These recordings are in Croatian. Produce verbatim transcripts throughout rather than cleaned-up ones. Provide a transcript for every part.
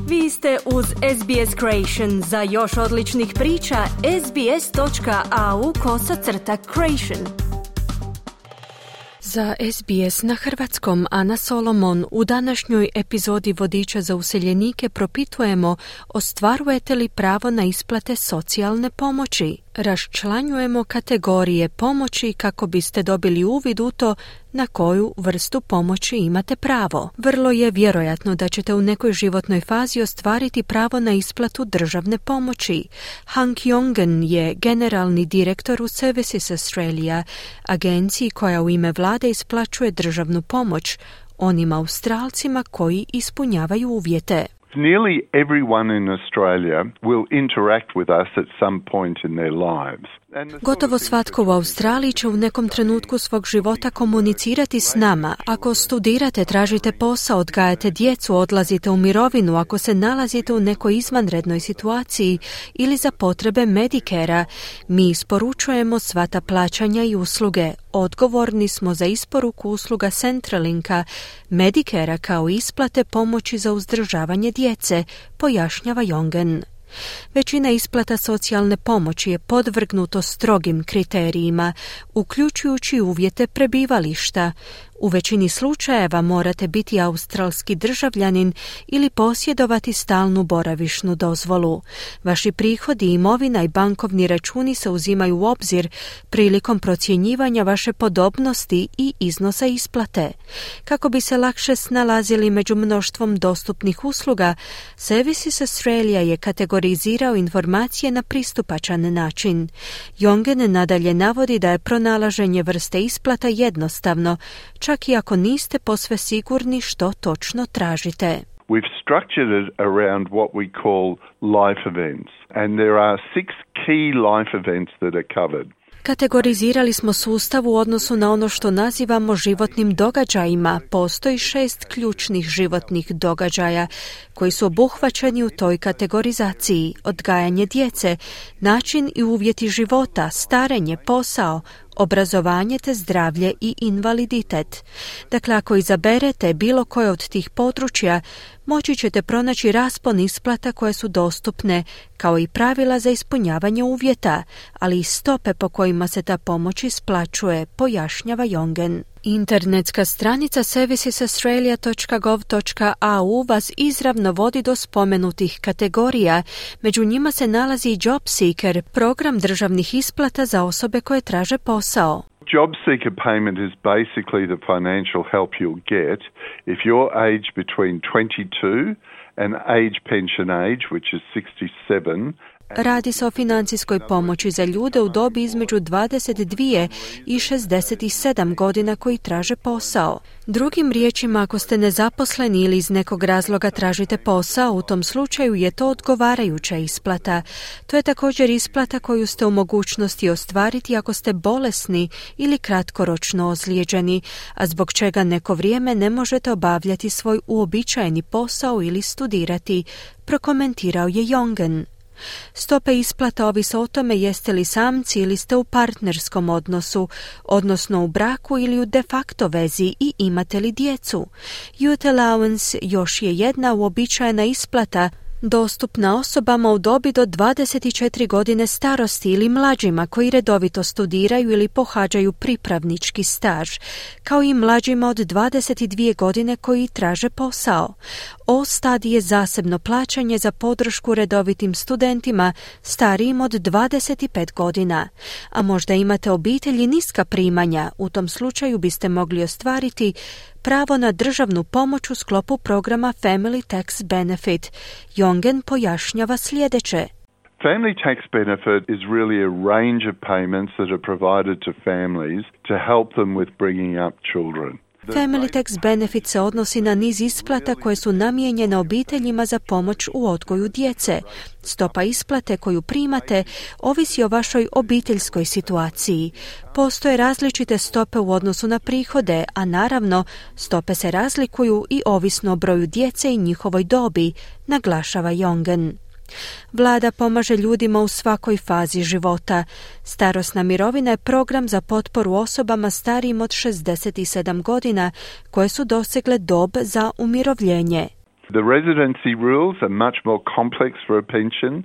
Vi ste uz S B S Creation. Za još odličnih priča, sbs.au kosacrta creation. Za S B S na hrvatskom Ana Solomon u današnjoj epizodi Vodiča za useljenike propitujemo ostvarujete li pravo na isplate socijalne pomoći. Raščlanjujemo kategorije pomoći kako biste dobili uvid u to na koju vrstu pomoći imate pravo. Vrlo je vjerojatno da ćete u nekoj životnoj fazi ostvariti pravo na isplatu državne pomoći. Hank Jongen je generalni direktor u Services Australia, agenciji koja u ime vlade isplaćuje državnu pomoć onim Australcima koji ispunjavaju uvjete. Nearly everyone in Australia will interact with us at some point in their lives. Gotovo svatko u Australiji će u nekom trenutku svog života komunicirati s nama. Ako studirate, tražite posao, odgajate djecu, odlazite u mirovinu, ako se nalazite u nekoj izvanrednoj situaciji ili za potrebe Medicare-a, mi isporučujemo sva ta plaćanja i usluge. Odgovorni smo za isporuku usluga Centralinka, Medicare-a kao isplate pomoći za uzdržavanje djece, pojašnjava Jongen. Većina isplata socijalne pomoći je podvrgnuto strogim kriterijima, uključujući uvjete prebivališta. U većini slučajeva morate biti australski državljanin ili posjedovati stalnu boravišnu dozvolu. Vaši prihodi, imovina i bankovni računi se uzimaju u obzir prilikom procjenjivanja vaše podobnosti i iznosa isplate. Kako bi se lakše snalazili među mnoštvom dostupnih usluga, Services Australia je kategorizirao informacije na pristupačan način. Jongen nadalje navodi da je pronalaženje vrste isplata jednostavno, čak i ako niste posve sigurni što točno tražite. We've structured it around what we call life events, and there are six key life events that are covered. Kategorizirali smo sustav u odnosu na ono što nazivamo životnim događajima. Postoji šest ključnih životnih događaja koji su obuhvaćeni u toj kategorizaciji: odgajanje djece, način i uvjeti života, starenje, posao, obrazovanje te zdravlje i invaliditet. Dakle, ako izaberete bilo koje od tih područja, moći ćete pronaći raspon isplata koje su dostupne, kao i pravila za ispunjavanje uvjeta, ali i stope po kojima se ta pomoć isplaćuje, pojašnjava Jongen. Internetska stranica services australia dot gov dot a u vas izravno vodi do spomenutih kategorija. Među njima se nalazi i Job Seeker, program državnih isplata za osobe koje traže posao. Job Seeker payment is basically the financial help you'll get if you're aged between twenty-two and age pension age, which is sixty-seven. Radi se o financijskoj pomoći za ljude u dobi između dvadeset dvije i šezdeset sedam godina koji traže posao. Drugim riječima, ako ste nezaposleni ili iz nekog razloga tražite posao, u tom slučaju je to odgovarajuća isplata. To je također isplata koju ste u mogućnosti ostvariti ako ste bolesni ili kratkoročno ozlijeđeni, a zbog čega neko vrijeme ne možete obavljati svoj uobičajeni posao ili studirati, prokomentirao je Jongen. Stope isplata ovise o tome jeste li samci ili ste u partnerskom odnosu, odnosno u braku ili u de facto vezi i imate li djecu. Youth Allowance još je jedna uobičajena isplata dostupna osobama u dobi do dvadeset četiri godine starosti ili mlađima koji redovito studiraju ili pohađaju pripravnički staž, kao i mlađima od dvadeset dvije godine koji traže posao. All Study je zasebno plaćanje za podršku redovitim studentima starijim od dvadeset pet godina. A možda imate obitelj i niska primanja, u tom slučaju biste mogli ostvariti pravo na državnu pomoć u sklopu programa Family Tax Benefit. Jongen pojašnjava sljedeće. Family tax benefit is really a range of payments that are provided to families to help them with bringing up children. Family Tax Benefit se odnosi na niz isplata koje su namijenjene obiteljima za pomoć u odgoju djece. Stopa isplate koju primate ovisi o vašoj obiteljskoj situaciji. Postoje različite stope u odnosu na prihode, a naravno stope se razlikuju i ovisno o broju djece i njihovoj dobi, naglašava Jongen. Vlada pomaže ljudima u svakoj fazi života. Starosna mirovina je program za potporu osobama starijim od šezdeset sedam godina koje su dosegle dob za umirovljenje. The residency rules are much more complex for a pension.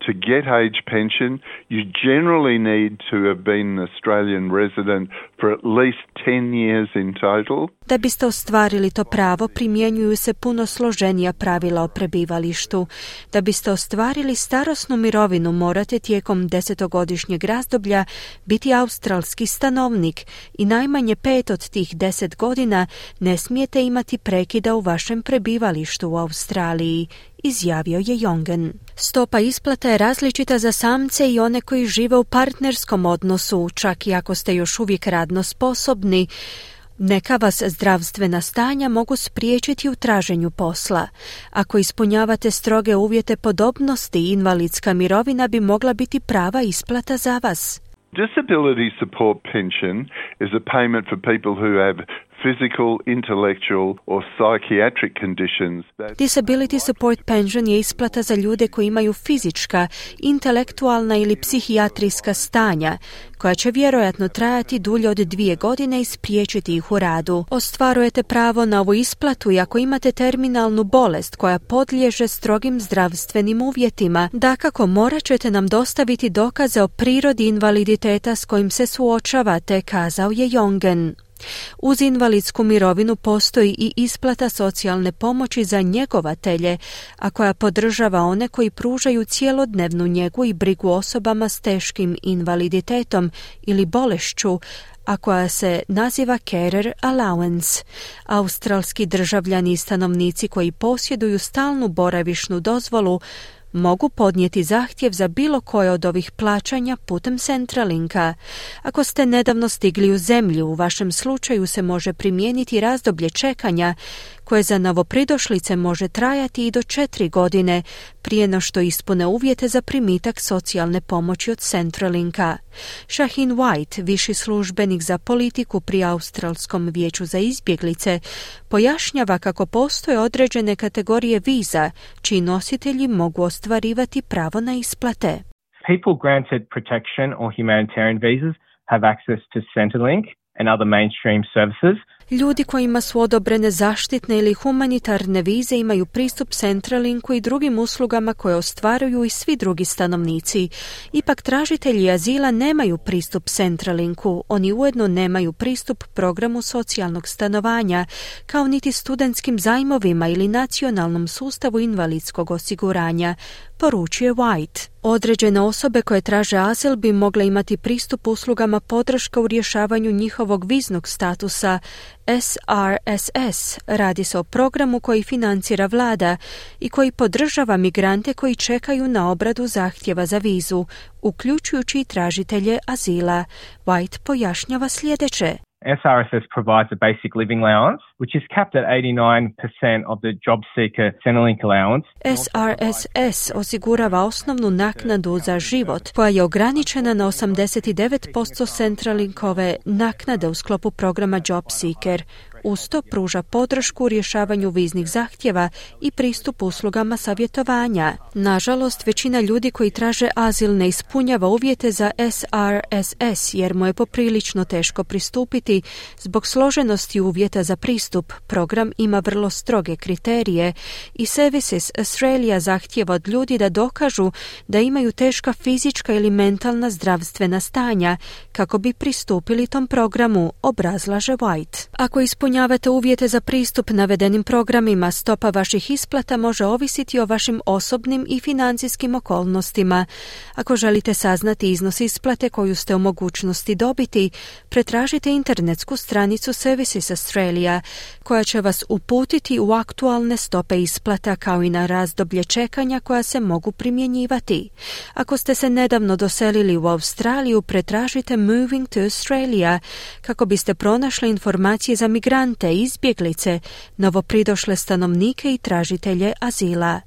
To get age pension, you generally need to have been an Australian resident for at least ten years in total. Da biste ostvarili to pravo, primjenjuju se puno složenija pravila o prebivalištu. Da biste ostvarili starosnu mirovinu, morate tijekom desetogodišnjeg razdoblja biti australski stanovnik i najmanje pet od tih deset godina ne smijete imati prekida u vašem prebivalištu u Australiji, izjavio je Jongen. Stopa isplata je različita za samce i one koji žive u partnerskom odnosu, čak i ako ste još uvijek radno sposobni. Neka vas zdravstvena stanja mogu spriječiti u traženju posla. Ako ispunjavate stroge uvjete podobnosti, invalidska mirovina bi mogla biti prava isplata za vas. Disability support pension is a payment for people who have physical, intellectual or psychiatric conditions. Disability support pension je isplata za ljude koji imaju fizička, intelektualna ili psihijatrijska stanja, koja će vjerojatno trajati dulje od dvije godine i spriječiti ih u radu. Ostvarujete pravo na ovu isplatu i ako imate terminalnu bolest koja podliježe strogim zdravstvenim uvjetima. Dakako, morat ćete nam dostaviti dokaze o prirodi invaliditeta s kojim se suočavate, kazao je Jongen. Uz invalidsku mirovinu postoji i isplata socijalne pomoći za njegovatelje, a koja podržava one koji pružaju cjelodnevnu njegu i brigu osobama s teškim invaliditetom ili bolešću, a koja se naziva Carer Allowance. Australski državljani i stanovnici koji posjeduju stalnu boravišnu dozvolu mogu podnijeti zahtjev za bilo koje od ovih plaćanja putem Centralinka. Ako ste nedavno stigli u zemlju, u vašem slučaju se može primijeniti razdoblje čekanja koje za novopridošlice može trajati i do četiri godine prije no što ispune uvjete za primitak socijalne pomoći od Centralinka. Shaheen White, viši službenik za politiku pri Australskom vijeću za izbjeglice, pojašnjava kako postoje određene kategorije viza čiji nositelji mogu ostvarivati pravo na isplate. People granted protection or humanitarian visas have access to Centrelink and other mainstream services. Ljudi kojima su odobrene zaštitne ili humanitarne vize imaju pristup Centralinku i drugim uslugama koje ostvaruju i svi drugi stanovnici. Ipak tražitelji azila nemaju pristup Centralinku, oni ujedno nemaju pristup programu socijalnog stanovanja, kao niti studentskim zajmovima ili nacionalnom sustavu invalidskog osiguranja, poručuje White. Određene osobe koje traže azil bi mogle imati pristup uslugama podrška u rješavanju njihovog viznog statusa S R S S. Radi se o programu koji financira vlada i koji podržava migrante koji čekaju na obradu zahtjeva za vizu, uključujući i tražitelje azila. White pojašnjava sljedeće. S R S S provides a basic living allowance, which is capped at eighty-nine percent of the job seeker Centrelink allowance. S R S S osigurava osnovnu naknadu za život, koja je ograničena na osamdeset devet posto Centrelinkove naknade u sklopu programa Job Seeker. Uz to pruža podršku u rješavanju viznih zahtjeva i pristup uslugama savjetovanja. Nažalost, većina ljudi koji traže azil ne ispunjava uvjete za S R S S jer mu je poprilično teško pristupiti zbog složenosti uvjeta za pristup. Program ima vrlo stroge kriterije i Services Australia zahtjeva od ljudi da dokažu da imaju teška fizička ili mentalna zdravstvena stanja kako bi pristupili tom programu, obrazlaže White. Ako ispunjavate uvjete za pristup navedenim programima, stopa vaših isplata može ovisiti o vašim osobnim i financijskim okolnostima. Ako želite saznati iznos isplate koju ste u mogućnosti dobiti, pretražite internetsku stranicu Services Australia, koja će vas uputiti u aktualne stope isplata kao i na razdoblje čekanja koja se mogu primjenjivati. Ako ste se nedavno doselili u Australiju, pretražite Moving to Australia kako biste pronašli informacije za migrante, izbjeglice, novopridošle stanovnike i tražitelje azila.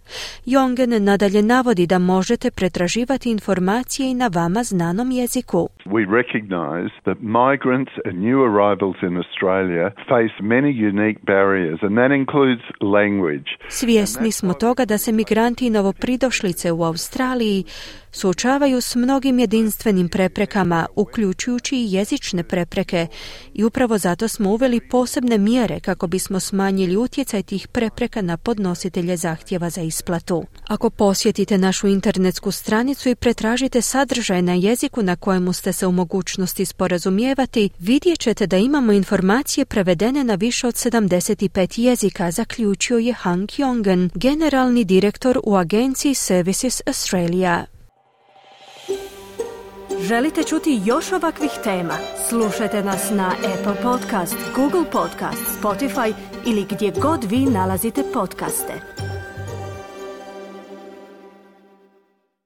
Jongen nadalje navodi da možete pretraživati informacije i na vama znanom jeziku. We recognize that migrants and new arrivals in Australia face many unique barriers and that includes language. Svjesni smo toga da se migranti i novopridošlice u Australiji suočavaju s mnogim jedinstvenim preprekama, uključujući i jezične prepreke, i upravo zato smo uveli posebne mjere kako bismo smanjili utjecaj tih prepreka na podnositelje zahtjeva za isplatu. Ako posjetite našu internetsku stranicu i pretražite sadržaj na jeziku na kojemu ste se u mogućnosti sporazumijevati, vidjet ćete da imamo informacije prevedene na više od sedamdeset pet jezika, zaključio je Han Kyong-en, generalni direktor u agenciji Services Australia. Želite čuti još ovakvih tema? Slušajte nas na Apple Podcast, Google Podcast, Spotify ili gdje god vi nalazite podcaste.